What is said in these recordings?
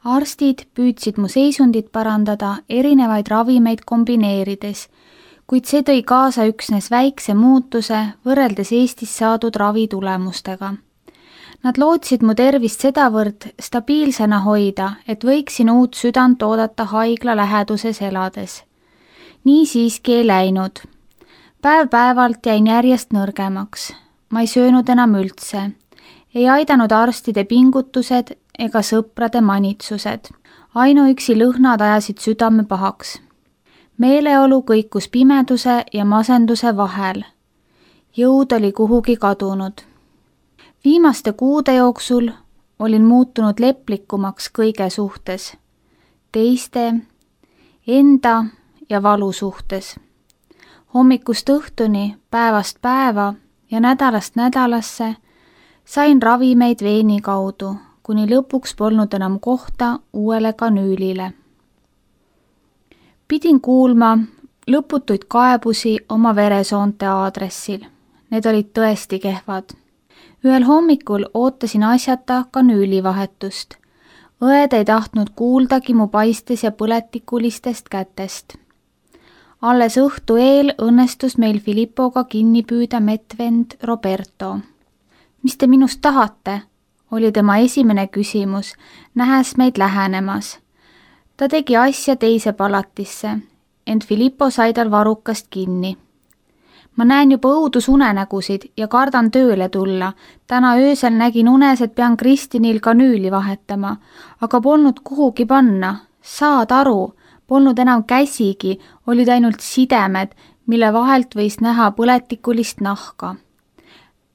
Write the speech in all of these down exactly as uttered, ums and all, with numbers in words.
Arstid püüdsid mu seisundit parandada erinevaid ravimeid kombineerides, kuid see tõi kaasa üksnes väikse muutuse võrreldes Eestis saadud ravitulemustega. Nad lootsid mu tervist sedavõrd stabiilsena hoida, et võiksin uut südant oodata haigla läheduses elades. Nii siiski ei läinud. Päev päevalt jäin järjest nõrgemaks. Ma ei söönud enam üldse. Ei aidanud arstide pingutused ega sõprade manitsused. Ainuüksi lõhnad ajasid südame pahaks. Meeleolu kõikus pimeduse ja masenduse vahel. Jõud oli kuhugi kadunud. Viimaste kuude jooksul olin muutunud leplikumaks kõige suhtes. Teiste, enda ja valu suhtes. Hommikust õhtuni, päevast päeva ja nädalast nädalasse sain ravimeid veeni kaudu, kuni lõpuks polnud enam kohta uuele kanüülile. Pidin kuulma lõputuid kaebusi oma veresoonte aadressil. Need olid tõesti kehvad. Ühel hommikul ootasin asjata kanüülivahetust. Õed ei tahtnud kuuldagi mu paistes ja põletikulistest kätest. Alles õhtu eel õnnestus meil Filippoga kinni püüda metvend Roberto. Mis te minust tahate? Oli tema esimene küsimus, nähes meid lähenemas. Ta tegi asja teise palatisse, ent Filippo sai tal varukast kinni. Ma näen juba õudusunenägusid ja kardan tööle tulla. Täna öösel nägin unes, et pean Kristinil kanüüli vahetama, aga polnud kuhugi panna. Saad aru, polnud enam käsigi, olid ainult sidemed, mille vahelt võis näha põletikulist nahka.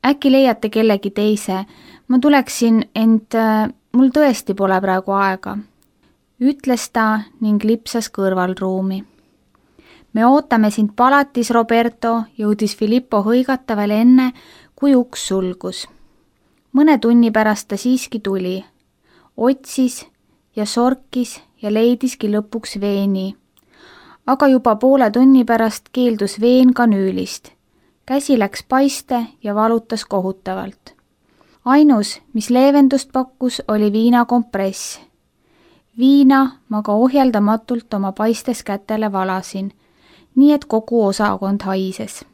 Äkki leiate kellegi teise? Ma tuleksin, ent äh, mul tõesti pole praegu aega. Ütles ta ning lipsas kõrvalruumi. Me ootame sind palatis, Roberto, jõudis Filippo hõigata veel enne, kui uks sulgus. Mõne tunni pärast ta siiski tuli. Otsis ja sorkis ja leidiski lõpuks veeni. Aga juba poole tunni pärast keeldus veen kanüülist. Käsi läks paiste ja valutas kohutavalt. Ainus, mis leevendust pakkus, oli viinakompress. Viina ma ka ohjeldamatult oma paistes kätele valasin, nii et kogu osakond haises.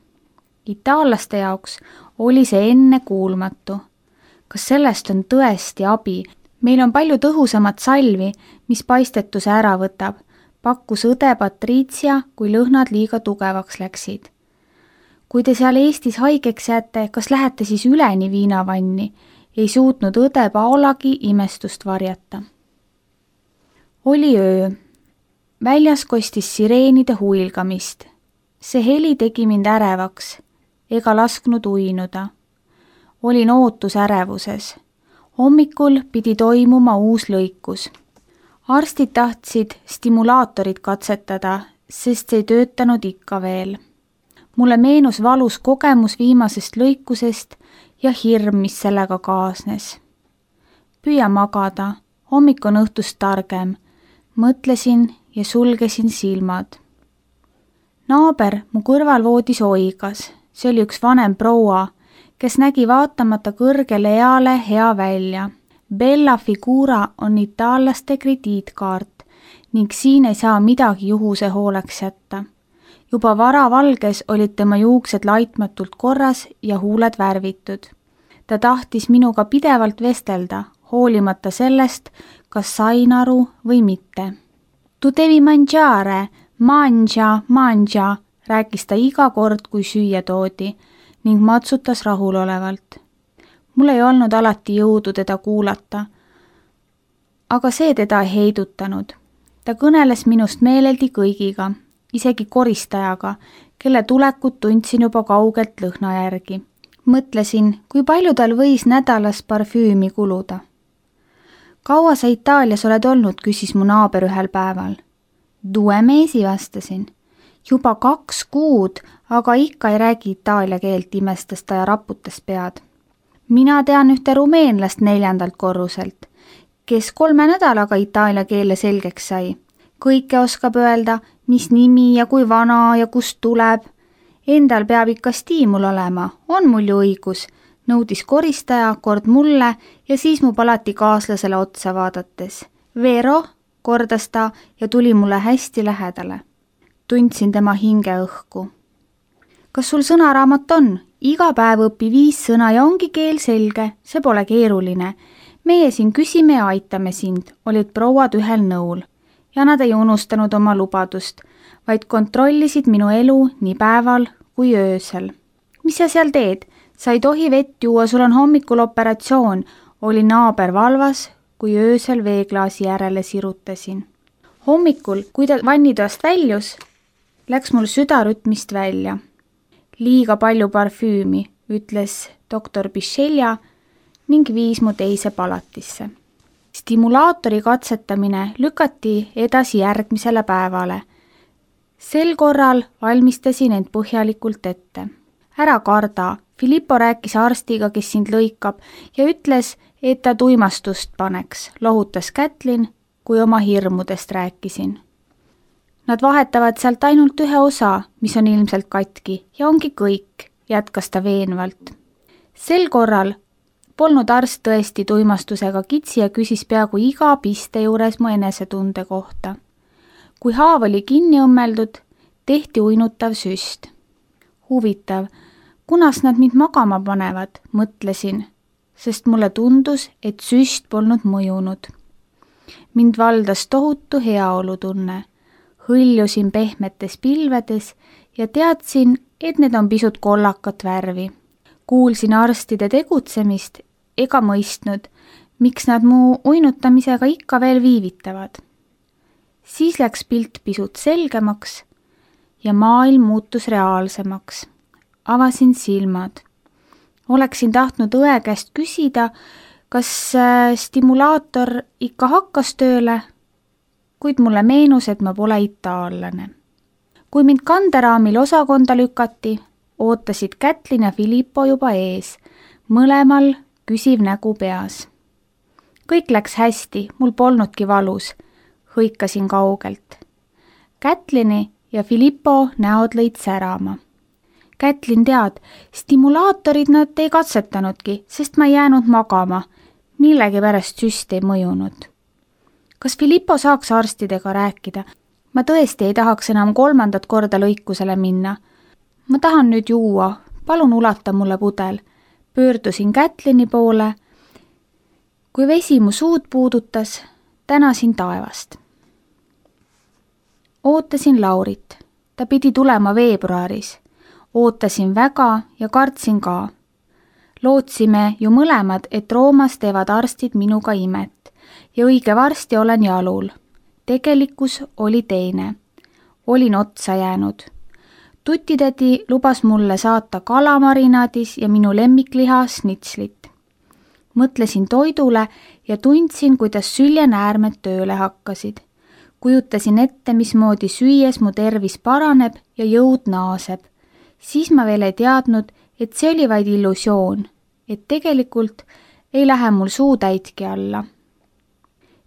Itaallaste jaoks oli see enne kuulmatu. Kas sellest on tõesti abi? Meil on palju tõhusamat salvi, mis paistetuse ära võtab, pakkus õde Patricia, kui lõhnad liiga tugevaks läksid. Kui te seal Eestis haigeks jääte, kas lähete siis üleni viinavanni? Ei suutnud õde Paolagi imestust varjata. Oli öö. Väljas kostis sireenide huilgamist. See heli tegi mind ärevaks, ega lasknud uinuda. Olin ootus ärevuses. Hommikul pidi toimuma uus lõikus. Arstid tahtsid stimulaatorit katsetada, sest see ei töötanud ikka veel. Mulle meenus valus kogemus viimasest lõikusest ja hirm, mis sellega kaasnes. Püüa magada, hommik on õhtust targem. Mõtlesin ja sulgesin silmad. Naaber mu kõrval voodis oigas. See oli üks vanem proua, kes nägi vaatamata kõrgele eale hea välja. Bella Figura on itaallaste krediitkaart ning siin ei saa midagi juhuse hooleks jätta. Juba varavalges olid tema juuksed laitmatult korras ja huuled värvitud. Ta tahtis minuga pidevalt vestelda, hoolimata sellest, kas sain aru või mitte. Tu devi mangiare, mangia, mangia, rääkis ta iga kord, kui süüa toodi ning matsutas rahulolevalt. Mul ei olnud alati jõudu teda kuulata, aga see teda ei heidutanud. Ta kõneles minust meeleldi kõigiga, isegi koristajaga, kelle tulekut tundsin juba kaugelt lõhna järgi. Mõtlesin, kui palju tal võis nädalas parfüümi kuluda. Kaua sa Itaalias oled olnud, küsis mu naaber ühel päeval. Due mesi vastasin. Juba kaks kuud, aga ikka ei räägi itaalia keelt, imestas ta ja raputas pead. Mina tean ühte rumeenlast neljandalt korruselt, kes kolme nädalaga itaalia keele selgeks sai. Kõike oskab öelda, mis nimi ja kui vana ja kust tuleb. Endal peab ikka stiimul olema, on mul ju õigus, nõudis koristaja kord mulle ja siis mu palati kaaslasele otsa vaadates. Vero, kordas ta ja tuli mulle hästi lähedale. Tundsin tema hingeõhku. Kas sul sõnaraamat on? Iga päev õpi viis sõna ja ongi keel selge, see pole keeruline. Meie siin küsime ja aitame sind, olid prouad ühel nõul. Ja nad ei unustanud oma lubadust, vaid kontrollisid minu elu nii päeval kui öösel. Mis sa seal teed? Sa ei tohi vett juua, sul on hommikul operatsioon, oli naaber valvas, kui öösel veeklaasi järele sirutasin. Hommikul, kui ta vannitoast väljus, läks mul südarütmist välja. Liiga palju parfüümi, ütles doktor Bichelja ning viis mu teise palatisse. Stimulaatori katsetamine lükati edasi järgmisele päevale. Sel korral valmistasin end põhjalikult ette. Ära karda, Filippo rääkis arstiga, kes sind lõikab ja ütles, et ta tuimastust paneks, lohutas Kätlin, kui oma hirmudest rääkisin. Nad vahetavad sealt ainult ühe osa, mis on ilmselt katki ja ongi kõik, jätkas ta veenvalt. Sel korral polnud arst tõesti tuimastusega kitsi ja küsis peaaegu iga piste juures mu enesetunde kohta. Kui haav oli kinni õmmeldud, tehti uinutav süst. Huvitav, kunas nad mind magama panevad, mõtlesin, sest mulle tundus, et süst polnud mõjunud. Mind valdas tohutu heaolutunne. Hõljusin pehmetes pilvedes ja teadsin, et need on pisut kollakat värvi. Kuulsin arstide tegutsemist ega mõistnud, miks nad mu uinutamisega ikka veel viivitavad. Siis läks pilt pisut selgemaks ja maailm muutus reaalsemaks. Avasin silmad. Oleksin tahtnud õe käest küsida, kas stimulaator ikka hakkas tööle, kuid mulle meenus, et ma pole itaallane. Kui mind kanderaamil osakonda lükati, ootasid Kätlin ja Filippo juba ees, mõlemal küsiv nägu peas. Kõik läks hästi, mul polnudki valus, hõikasin kaugelt. Kätlini ja Filippo näod lõid särama. Kätlin tead, stimulaatorid nad ei katsetanudki, sest ma ei jäänud magama, millegi pärast süst ei mõjunud. Kas Filippo saaks arstidega rääkida? Ma tõesti ei tahaks enam kolmandat korda lõikusele minna. Ma tahan nüüd juua, palun ulata mulle pudel. Pöördusin Kätlini poole. Kui vesi mu suud puudutas, tänasin taevast. Ootasin Laurit. Ta pidi tulema veebruaris. Ootasin väga ja kartsin ka. Lootsime ju mõlemad, et Roomas teevad arstid minuga imet ja õige varsti olen jalul. Tegelikkus oli teine. Olin otsa jäänud. Tutitädi lubas mulle saata kalamarinaadis ja minu lemmikliha snitslit. Mõtlesin toidule ja tundsin, kuidas süljenäärmed tööle hakkasid. Kujutasin ette, mismoodi süües mu tervis paraneb ja jõud naaseb. Siis ma veel ei teadnud, et see oli vaid illusioon, et tegelikult ei lähe mul suu täitki alla.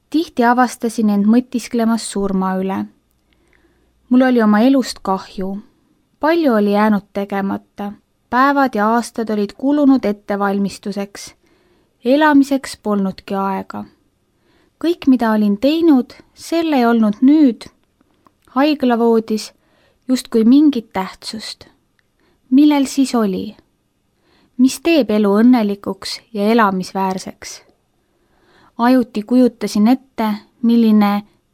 Tihti avastasin end mõtisklemas surma üle. Mul oli oma elust kahju. Palju oli jäänud tegemata. Päevad ja aastad olid kulunud ettevalmistuseks. Elamiseks polnudki aega. Kõik, mida olin teinud, selle ei olnud nüüd, haiglavoodis, justkui mingit tähtsust. Millel siis oli? Mis teeb elu õnnelikuks ja elamisväärseks? Ajuti kujutasin ette, milline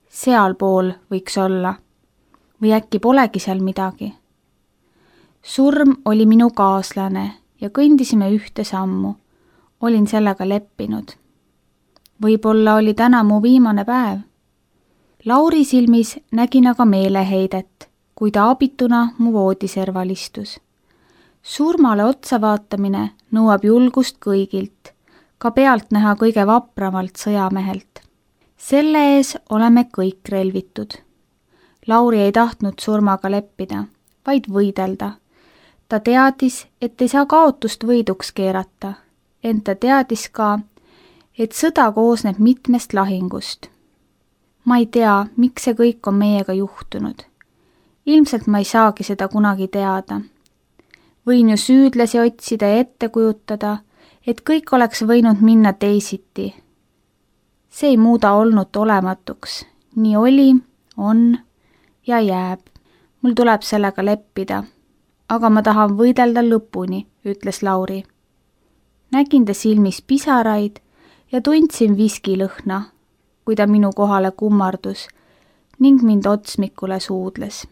sealpool võiks olla. Või äkki polegi seal midagi? Surm oli minu kaaslane ja kõndisime ühte sammu. Olin sellega leppinud. Võib-olla oli täna mu viimane päev. Lauri silmis nägin aga meeleheidet, kui ta abituna mu voodiserval istus. Surmale otsa vaatamine nõuab julgust kõigilt, ka pealt näha kõige vapramalt sõjamehelt. Selle ees oleme kõik relvitud. Lauri ei tahtnud surmaga leppida, vaid võidelda. Ta teadis, et ei saa kaotust võiduks keerata, ent ta teadis ka, et sõda koosneb mitmest lahingust. Ma ei tea, miks see kõik on meiega juhtunud. Ilmselt ma ei saagi seda kunagi teada. Võin ju süüdlasi otsida ja ette kujutada, et kõik oleks võinud minna teisiti. see ei muuda olnut olematuks. nii oli, on ja jääb. mul tuleb sellega leppida. aga ma tahan võidelda lõpuni, ütles Lauri. nägin ta silmis pisaraid ja tundsin viskilõhna, kui ta minu kohale kummardus ning mind otsmikule suudles.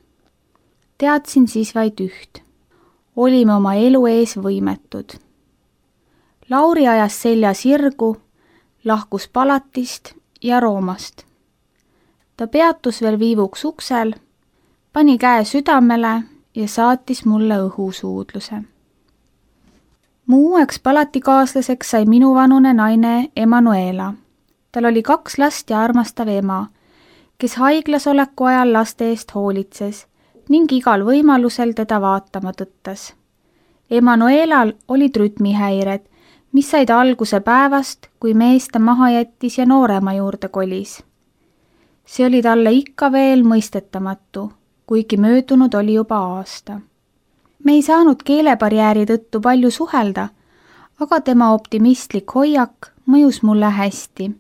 Teadsin siis vaid üht. Olime oma elu ees võimetud. Lauri ajas selja sirgu, lahkus palatist ja Roomast. Ta peatus veel viivuks uksel, pani käe südamele ja saatis mulle õhusuudluse. Mu uueks palatikaaslaseks sai minuvanune naine Emanuela. Tal oli kaks last ja armastav ema, kes haiglas oleku ajal laste eest hoolitses ning igal võimalusel teda vaatama tõttas. Emanuelal olid rütmihäired, mis said alguse päevast, kui mees ta maha jättis ja noorema juurde kolis. See oli talle ikka veel mõistetamatu, kuigi möödunud oli juba aasta. Me ei saanud keelebarjääri tõttu palju suhelda, aga tema optimistlik hoiak mõjus mulle hästi.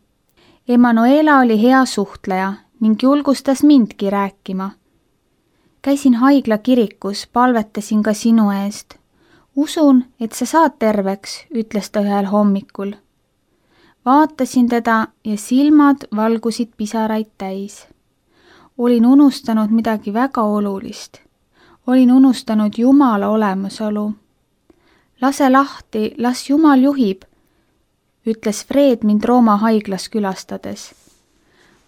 Emanuela oli hea suhtleja ning julgustas mindki rääkima. Käisin haigla kirikus, palvetasin ka sinu eest. Usun, et sa saad terveks, ütles ta ühel hommikul. Vaatasin teda ja silmad valgusid pisaraid täis. Olin unustanud midagi väga olulist. Olin unustanud Jumala olemasolu. Lase lahti, las Jumal juhib, ütles Fred mind Rooma haiglas külastades.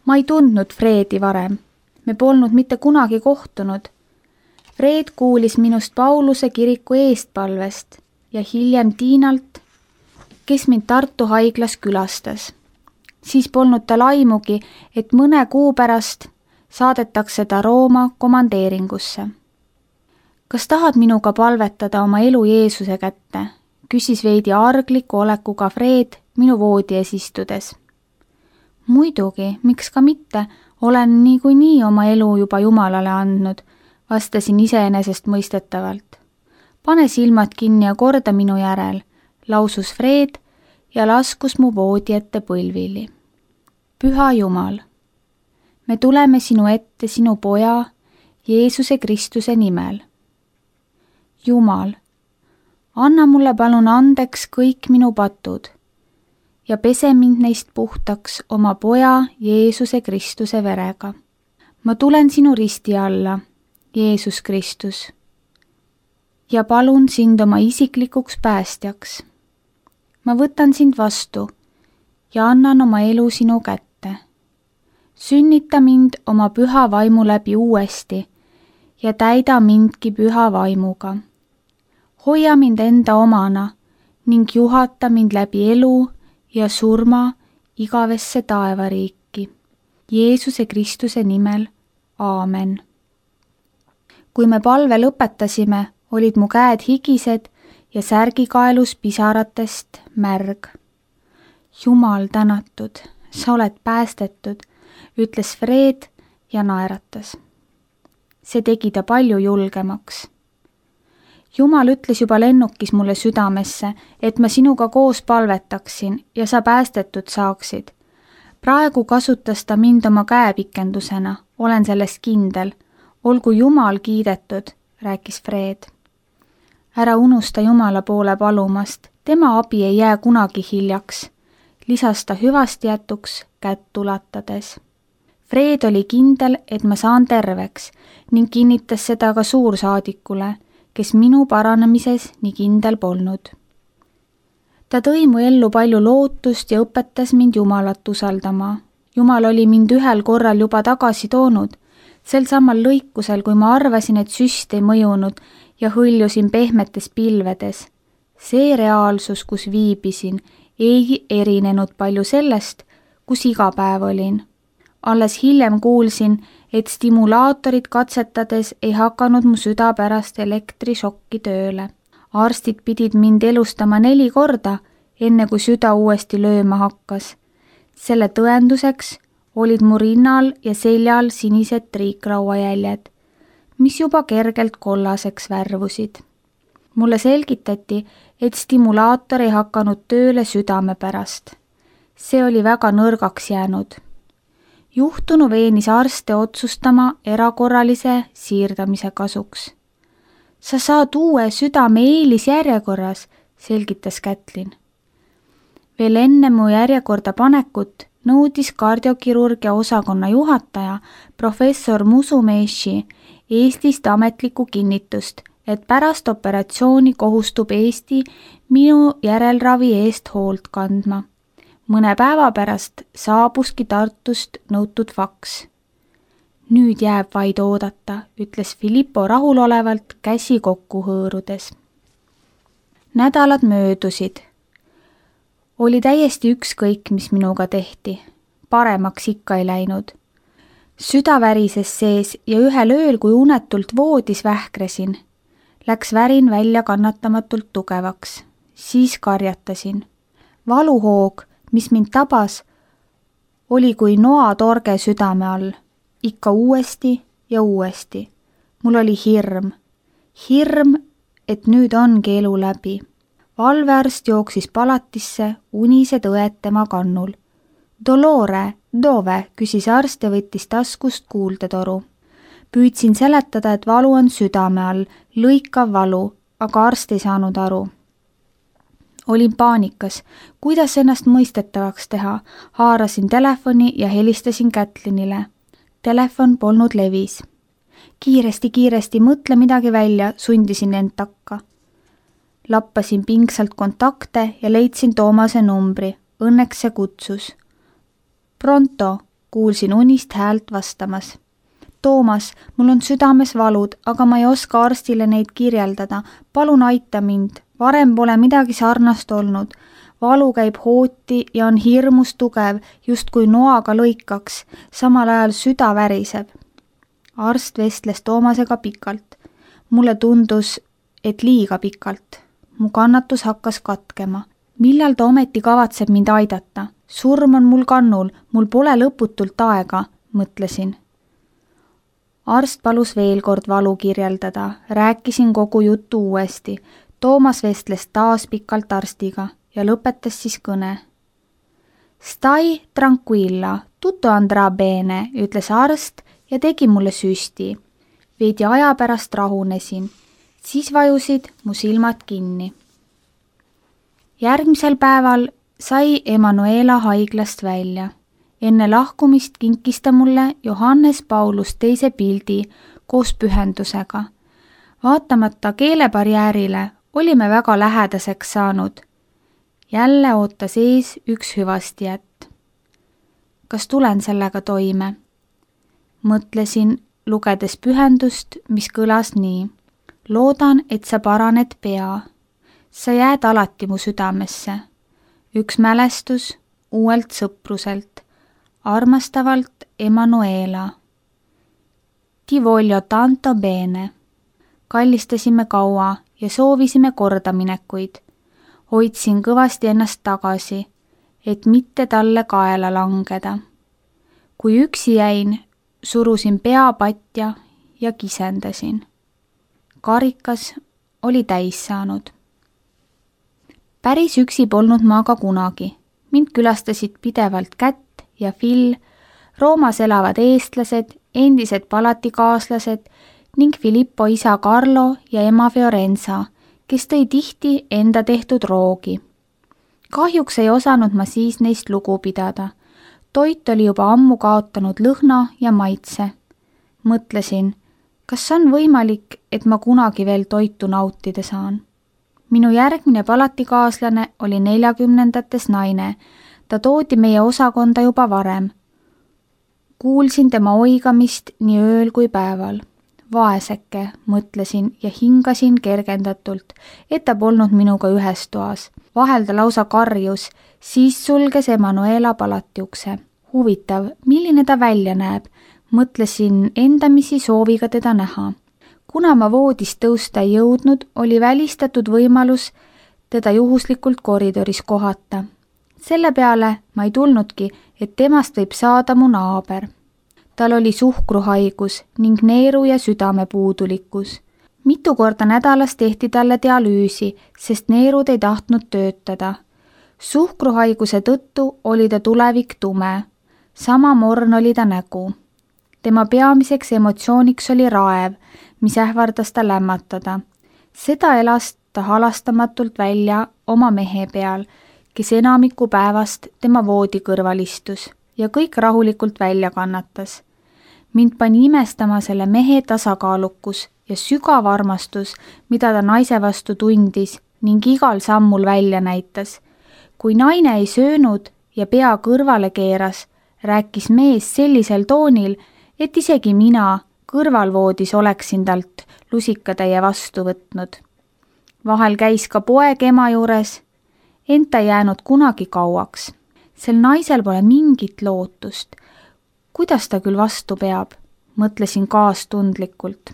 Ma ei tundnud Fredi varem. Me polnud mitte kunagi kohtunud. Fred kuulis minust Pauluse kiriku eestpalvest ja hiljem Tiinalt, kes mind Tartu haiglas külastas. Siis polnud tal aimugi, et mõne kuu pärast saadetakse ta Rooma komandeeringusse. Kas tahad minuga palvetada oma elu Jeesuse kätte? Küsis veidi argliku olekuga Fred minu voodi ees istudes. Muidugi, miks ka mitte, olen niikuinii oma elu juba Jumalale andnud, vastasin iseenesest mõistetavalt. Pane silmad kinni ja korda minu järel, lausus Fred ja laskus mu voodi ette põlvili. Püha Jumal, me tuleme sinu ette sinu poja, Jeesuse Kristuse nimel. Jumal, anna mulle palun andeks kõik minu patud ja pese mind neist puhtaks oma poja Jeesuse Kristuse verega. Ma tulen sinu risti alla, Jeesus Kristus, ja palun sind oma isiklikuks päästjaks. Ma võtan sind vastu ja annan oma elu sinu kätte. Sünnita mind oma püha vaimu läbi uuesti ja täida mindki püha vaimuga. Hoia mind enda omana ning juhata mind läbi elu ja surma igavesse taevariiki. Jeesuse Kristuse nimel, aamen. Kui me palve lõpetasime, olid mu käed higised ja särgikaelus pisaratest märg. Jumal tänatud, sa oled päästetud, ütles Fred ja naeratas. See tegi ta palju julgemaks. Jumal ütles juba lennukis mulle südamesse, et ma sinuga koos palvetaksin ja sa päästetud saaksid. Praegu kasutas ta mind oma käepikendusena, olen sellest kindel. Olgu Jumal kiidetud, rääkis Fred. Ära unusta Jumala poole palumast, tema abi ei jää kunagi hiljaks, lisas ta hüvasti jätuks kätt ulatades. Fred oli kindel, et ma saan terveks ning kinnitas seda ka suursaadikule, kes minu paranemises nii kindel polnud. Ta tõi mu ellu palju lootust ja õpetas mind Jumalat usaldama. Jumal oli mind ühel korral juba tagasi toonud, sel samal lõikusel, kui ma arvasin, et süst ei mõjunud ja hõljusin pehmetes pilvedes. See reaalsus, kus viibisin, ei erinenud palju sellest, kus iga päev olin. Alles hiljem kuulsin, et stimulaatorid katsetades ei hakanud mu süda pärast elektrišokki tööle. Arstid pidid mind elustama neli korda, enne kui süda uuesti lööma hakkas. Selle tõenduseks olid mu rinnal ja seljal sinised triikrauajäljed, mis juba kergelt kollaseks värvusid. Mulle selgitati, et stimulaator ei hakanud tööle südame pärast. see oli väga nõrgaks jäänud. Juhtunu veenis arste otsustama erakorralise siirdamise kasuks. Sa saad uue südame eelisjärjekorras, selgitas Kätlin. Veel enne mu järjekorda panekut nõudis kardiokirurgia osakonna juhataja professor Musumeshi Eestist ametlikku kinnitust, et pärast operatsiooni kohustub Eesti minu järelravi eest hoolt kandma. Mõne päeva pärast saabuski Tartust nõutud faks. Nüüd jääb vaid oodata, ütles Filippo rahulolevalt käsi kokku hõõrudes. Nädalad möödusid. Oli täiesti ükskõik, mis minuga tehti. Paremaks ikka ei läinud. Süda värises sees ja ühel ööl, kui unetult voodis vähkresin, läks värin välja kannatamatult tugevaks. Siis karjatasin. Valuhoog, mis mind tabas, oli kui noatorge südame all. Ikka uuesti ja uuesti. Mul oli hirm. Hirm, et nüüd ongi elu läbi. Valvearst jooksis palatisse, unised õed tema kannul. Dolore, dove, küsis arst ja võttis taskust kuuldetoru. Püüdsin seletada, et valu on südame all, lõikav valu, aga arst ei saanud aru. Olin paanikas, kuidas ennast mõistetavaks teha. Haarasin telefoni ja helistasin Kätlinile. Telefon polnud levis. Kiiresti, kiiresti, mõtle midagi välja, sundisin end takka. Lappasin pingsalt kontakte ja leidsin Toomase numbri. Õnneks see kutsus. Pronto, kuulsin unist häält vastamas. Toomas, mul on südames valud, aga ma ei oska arstile neid kirjeldada. Palun aita mind. Varem pole midagi sarnast olnud. Valu käib hooti ja on hirmus tugev, just kui noaga lõikaks. Samal ajal süda väriseb. Arst vestles Toomasega pikalt. Mulle tundus, et liiga pikalt. Mu kannatus hakkas katkema. Millal ta ometi kavatseb mind aidata? Surm on mul kannul, mul pole lõputult aega, mõtlesin. Arst palus veel kord valu kirjeldada. Rääkisin kogu juttu uuesti. Toomas vestles taas pikalt arstiga ja lõpetas siis kõne. Stai tranquilla, tutto andrà bene, ütles arst ja tegi mulle süsti. Veidi aja pärast rahunesin. Siis vajusid mu silmad kinni. Järgmisel päeval sai Emanuela haiglast välja. Enne lahkumist kinkis ta mulle Johannes Paulus teise pildi koos pühendusega. Vaatamata keelebarjäärile olime väga lähedaseks saanud. Jälle ootas ees üks hüvastijät. Kas tulen sellega toime? Mõtlesin, lugedes pühendust, mis kõlas nii. Loodan, et sa paraned pea. Sa jääd alati mu südamesse. Üks mälestus uuelt sõpruselt. Armastavalt Emanuela. Ti voglio tanto bene. Kallistasime kaua ja soovisime kordaminekuid. Hoidsin kõvasti ennast tagasi, et mitte talle kaela langeda. Kui üksi jäin, surusin pea patja ja kisendasin. Karikas oli täis saanud. Päris üksi polnud ma aga kunagi. Mind külastasid pidevalt Kätt ja Phil, Roomas elavad eestlased, endised palatikaaslased ning Filippo isa Carlo ja ema Fiorenza, kes tõi tihti enda tehtud roogi. Kahjuks ei osanud ma siis neist lugu pidada. Toit oli juba ammu kaotanud lõhna ja maitse. Mõtlesin, kas on võimalik, et ma kunagi veel toitu nautida saan. Minu järgmine palatikaaslane oli neljakümnendates naine. Ta toodi meie osakonda juba varem. Kuulsin tema oigamist nii ööl kui päeval. Vaeseke, mõtlesin ja hingasin kergendatult, et ta polnud minuga ühes toas. Vahel ta lausa karjus, siis sulges Emanuela palatiukse. Huvitav, milline ta välja näeb? Mõtlesin endamisi sooviga teda näha. Kuna ma voodist tõusta ei jõudnud, oli välistatud võimalus teda juhuslikult koridoris kohata. Selle peale ma ei tulnudki, et temast võib saada mu naaber. Tal oli suhkruhaigus ning neeru ja südamepuudulikkus. Mitu korda nädalas tehti talle dialüüsi, sest neerud ei tahtnud töötada. Suhkruhaiguse tõttu oli ta tulevik tume, sama morn oli ta nägu. Tema peamiseks emotsiooniks oli raev, mis ähvardas ta lämmatada. Seda elas ta halastamatult välja oma mehe peal, kes enamiku päevast tema voodi kõrval istus ja kõik rahulikult välja kannatas. Mind pani imestama selle mehe tasakaalukus ja sügav armastus, mida ta naise vastu tundis ning igal sammul välja näitas. Kui naine ei söönud ja pea kõrvale keeras, rääkis mees sellisel toonil, et isegi mina kõrvalvoodis oleksin talt lusikatäie vastu võtnud. Vahel käis ka poeg ema juures, ent ta jäänud kunagi kauaks. Sel naisel pole mingit lootust. Kuidas ta küll vastu peab? Mõtlesin kaastundlikult.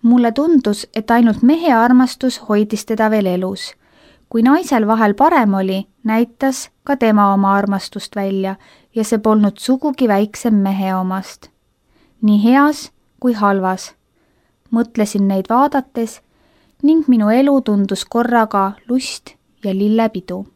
Mulle tundus, et ainult mehe armastus hoidis teda veel elus. Kui naisel vahel parem oli, näitas ka tema oma armastust välja ja see polnud sugugi väiksem mehe omast. Nii heas kui halvas. Mõtlesin neid vaadates ning minu elu tundus korraga lust ja lillepidu.